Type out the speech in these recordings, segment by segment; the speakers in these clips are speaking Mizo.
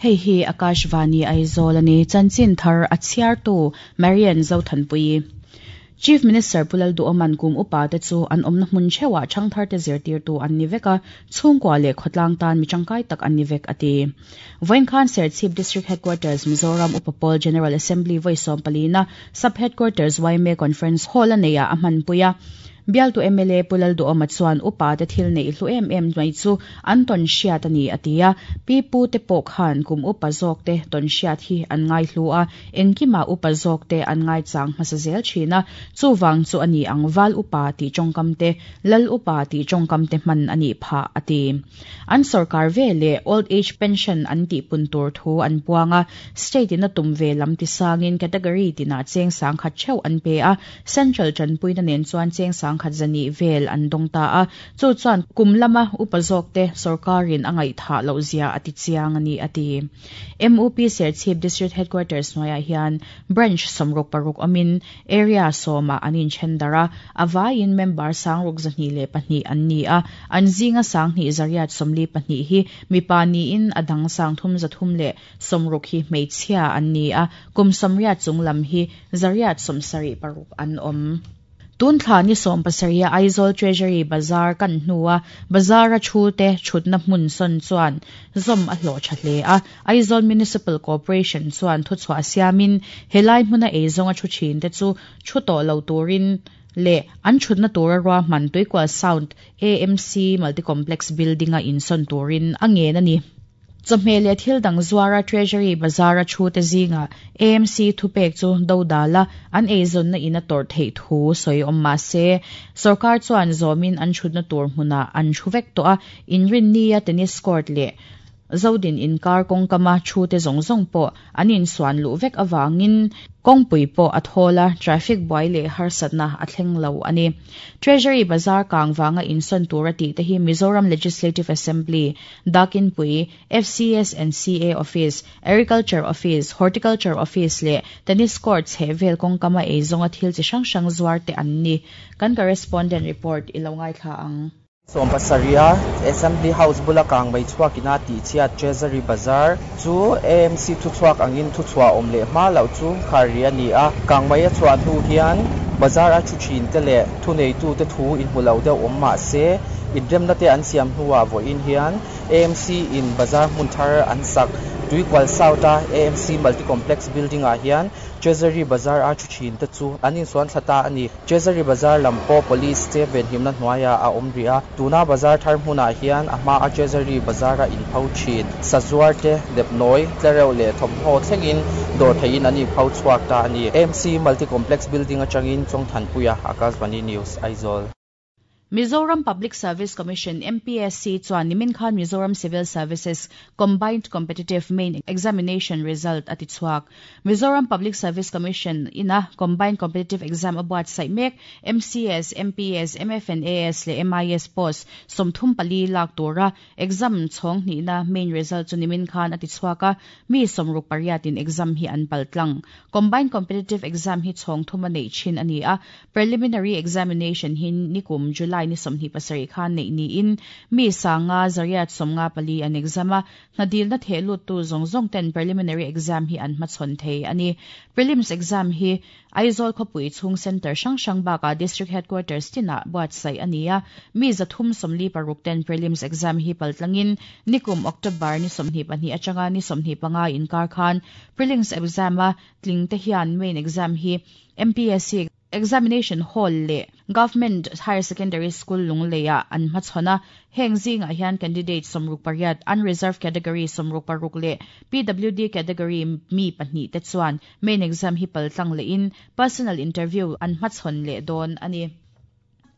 Hei hi Akashvani Aizawl a ni. Chanchin thar a chhiartu Marian Zothanpuii. Chief Minister Pu Lalduhawman kum upa te chu an awmna hmun theuhah thangthar te zirtirtu an ni vek a, chhungkua leh khawtlang tan mi tangkai tak an ni vek a ti. Vawiin khan Serchhip District Headquarters Mizoram Upa Pawl General Assembly vawi sawmpalina Sub Headquarters yma Conference Hall a neihah a hmanpui a. Bialtu mla Pu Lalduhawma chuan upa te thil neih hlu em em mai chu an tawn hriat a ni a ti a. Pi pu te pawh khan kum upa zawk te tawn hriat hi an ngai hlu a, engkimah upa zawk te an ngaichang hmasa zel thin a, chuvang chu a ni ang val upa tih tawngkam te, lal upa tih tawngkam te hman a nih phah a ti. An sorkar ve leh Old Age Pension an tih pun tur thu an puang a, State in a tum ve lam ti sangin category tinah cheng sangkhat theuh an pe a, Central tanpuina nen chuan cheng sangkhat zahnih vel an dawng ta a, chu chuan kum lama upa zawkte sorkarin a ngaihthah loh zia a ti chiang a ni a ti. MUP Serchhip District Headquarters hnuaiah hian Branch 66 awmin Area sawmah an inthen darh a, a vaiin member sangruk 202 an ni a, an zinga 2142 hi mipa niin a dang 360 hi hmeichhia an ni a, kum 80 chung lam hi 176 an awm. Tun thla ni 17 a Aizawl Treasury Bazar kan hnua Bazar-a thu te thutna hmun sawn chuan zawm a hlawh tha hle a. Aizawl Municipal Corporation chuan thuchhuah siamin helai hmuna eizawnga thu thin te chu thu tawh lo turin leh an thutna tura ruahman Tuikual Sound AMC Multi-Complex Building-a insawn turin a ngen a ni. Chawhmeh leh thil dang zuara Treasury Bazar-a thute zingah AMC thupek chu dodal a, an eizawnna in a tawrh theih thu sawi awm mah se, sorkar chuan zawmin an thutna tur hmunah an thu vek tawh a, inrinnia tennis court leh Zodin inkar kawngkama thute zawng zawng pawh an insuan luh vek avangin kawngpui pawh a thawl a, traffic buai leh harsatna a thleng lo a ni. Treasury Bazar kang vanga insawn tura tihte hi Mizoram Legislative Assembly, Dakinpui, FCS and CA Office, Agriculture Office, Horticulture Office leh Tennis Court chheh vel kawngkama eizawnga thil chi hrang hrang zuar te an ni. Kan correspondent report i lo ngaithla ang. Sawmpasarih a Assembly House bula kang mai chhuak ina tihchhiat Treasury Bazar chu AMC thuchhuak angin thuchhuah awm leh hma loh chu khar ri a ni a. Kang mai a chhuah hnu hian bazar a thu thin te leh thuneitute thu inhmu lo deuh awm mah se inremna te an siam hnuah vawiin hian AMC in bazar hmun thar an sak Tuikual South a AMC Multi Complex Building ah hian Treasury Bazar a thu thin te chu an insuan thla ta a ni. Treasury Bazar lam pawh Police te venhimna hnuaiah a awm rih a, tuna bazar thar hmunah hian a hmaa Treasury Bazar a inpho thin. Sazuar te, nepnawi, tlereuh leh thawmhnaw thlengin dawr theihin an inpho chhuak ta a ni. AMC Multi Complex Building atangin Chawngthanpuia, Akashvani News, Aizawl. Mizoram Public Service Commission, MPSC, chuan nimin khan Mizoram Civil Services Combined Competitive Main Examination result a ti chhuak. Mizoram Public Service Commission ina Combined Competitive Exam a buatsaih mek MCS, MPS, MFNAS leh MIS post 34 lak tura Exam chhawng hnihna main result chu nimin khan a ti chhuak a, mi 68 in exam hi an pal tlang. Combined Competitive Exam hi chhawng thuma neih thin a ni a, Preliminary Examination hi nikum July ni 27 khan neih niin mi 5,154 an exam a, hnadilna theh luttu zawng zawng ten Preliminary Exam hi an hmachhawn thei a ni. Prelims Exam hi Aizawl khawpui chhung centre hrang hrang bakah District Headquarters tinah buatsaih a ni a, mi 346 ten prelims exam hi paltlangin nikum October ni 22 atanga ni 25 inkar khan prelims exam a tling te hian main exam hi MPSC Examination Hall leh Government Higher Secondary School Lungleiah an hmachhawn a, heng zingah hian candidate 68, unreserved category 66 leh PWD category mi pahnih te chuan Main exam hi paltlang lehin personal interview an hmachhawn leh dawn a ni.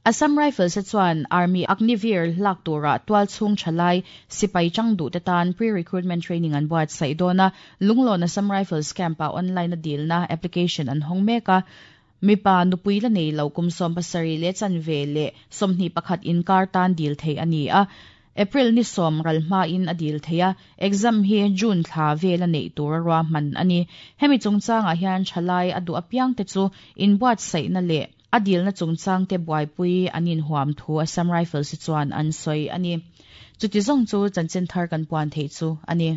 Assam Rifles te chuan Army Agniveer lak tura tual chhung thalai sipai chang duh te tan pre-recruitment training an buatsaih dawn a, Lunglawn Assam Rifles Camp-ah online a dilna application an hawng mek a. Mipa nupui la nei lo kum 17 leh chanve leh 21 inkar tan dil theih a ni a, April ni 10 ral hmain a dil thei a, exam hi June thla vela neih tur a ruahman a ni. Hemi chungchangah hian thalai a duh apiangte chu inbuatsaihna leh. a dilna chungchang te buaipui an inhuam thu Assam Rifles chuan an sawi a ni. Chuti zawng chu chanchin thar kan puan theih chu a ni.